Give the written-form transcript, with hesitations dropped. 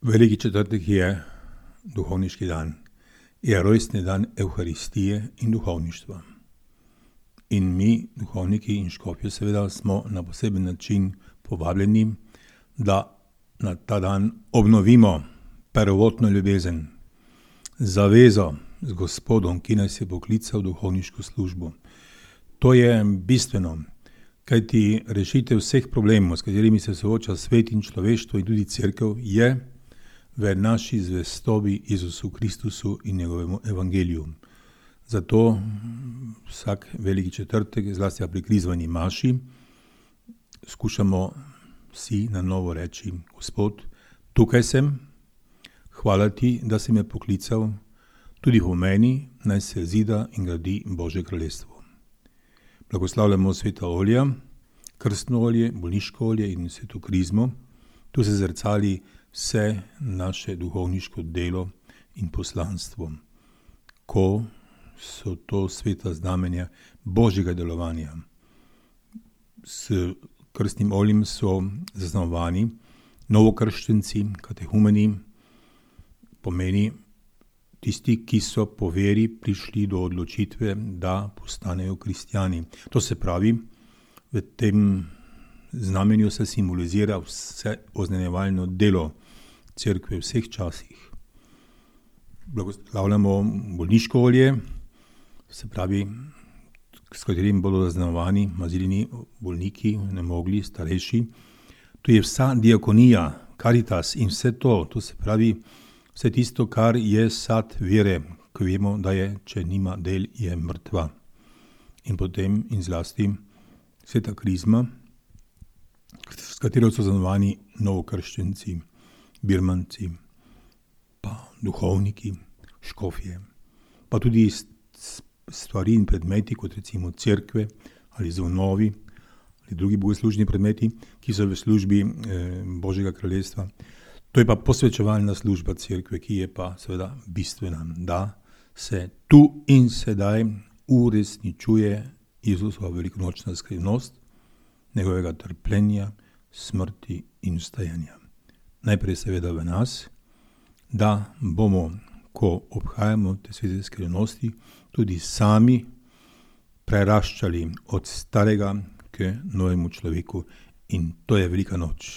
Veliki četrtek je duhovniški dan, je rojstni dan Evharistije in duhovništva. In mi, duhovniki in škofje, seveda smo na poseben način povabljeni, da na ta dan obnovimo prvotno ljubezen, zavezo z Gospodom, ki nas je poklical v duhovniško službo. To je bistveno, kajti rešitev vseh problemov, s katerimi se sooča svet in človeštvo in tudi cerkev, je v naši zvestobi Jezusu Kristusu in njegovemu evangeliju. Zato vsak veliki četrtek, zlasti pri krizvani maši, skušamo si na novo reči: Gospod, tukaj sem, hvala ti, da si me poklical, tudi v meni naj se zida in gradi Božje kraljestvo. Blagoslavljamo sveta olja, krstno olje, bolniško olje in sveto krizmo. Tu se zrcali vse naše duhovniško delo in poslanstvo, ko so to sveta znamenja Božjega delovanja. S krstnim oljem so zaznamovani novokrščenci, katehumeni, pomeni tisti, ki so po veri prišli do odločitve, da postanejo kristjani. To se pravi, v tem znamenju se simbolizira vse oznanjevalno delo cerkve v vseh časih. Blagoslavljamo bolniško olje, se pravi, s katerim bodo zaznamovani mazilini bolniki, nemogli, starejši. Tu je vsa diakonija, karitas in vse to, to se pravi, vse tisto, kar je sad vere, ko vemo, da je, če nima del, je mrtva. In potem in zlasti sveta krizma, s katero so zaznamovani novokrščenci, birmanci, pa duhovniki, škofje, pa tudi stvari in predmeti, kot recimo cerkve ali zvonovi ali drugi bogoslužni predmeti, ki so v službi Božjega kraljestva. To je pa posvečevalna služba cerkve, ki je pa seveda bistvena, da se tu in sedaj uresničuje Jezusova velikonočna skrivnost, njegovega trpljenja, smrti in vstajanja. Najprej seveda v nas, da bomo, ko obhajamo te svete skrivnosti, tudi sami preraščali od starega k novemu človeku, in to je velika noč.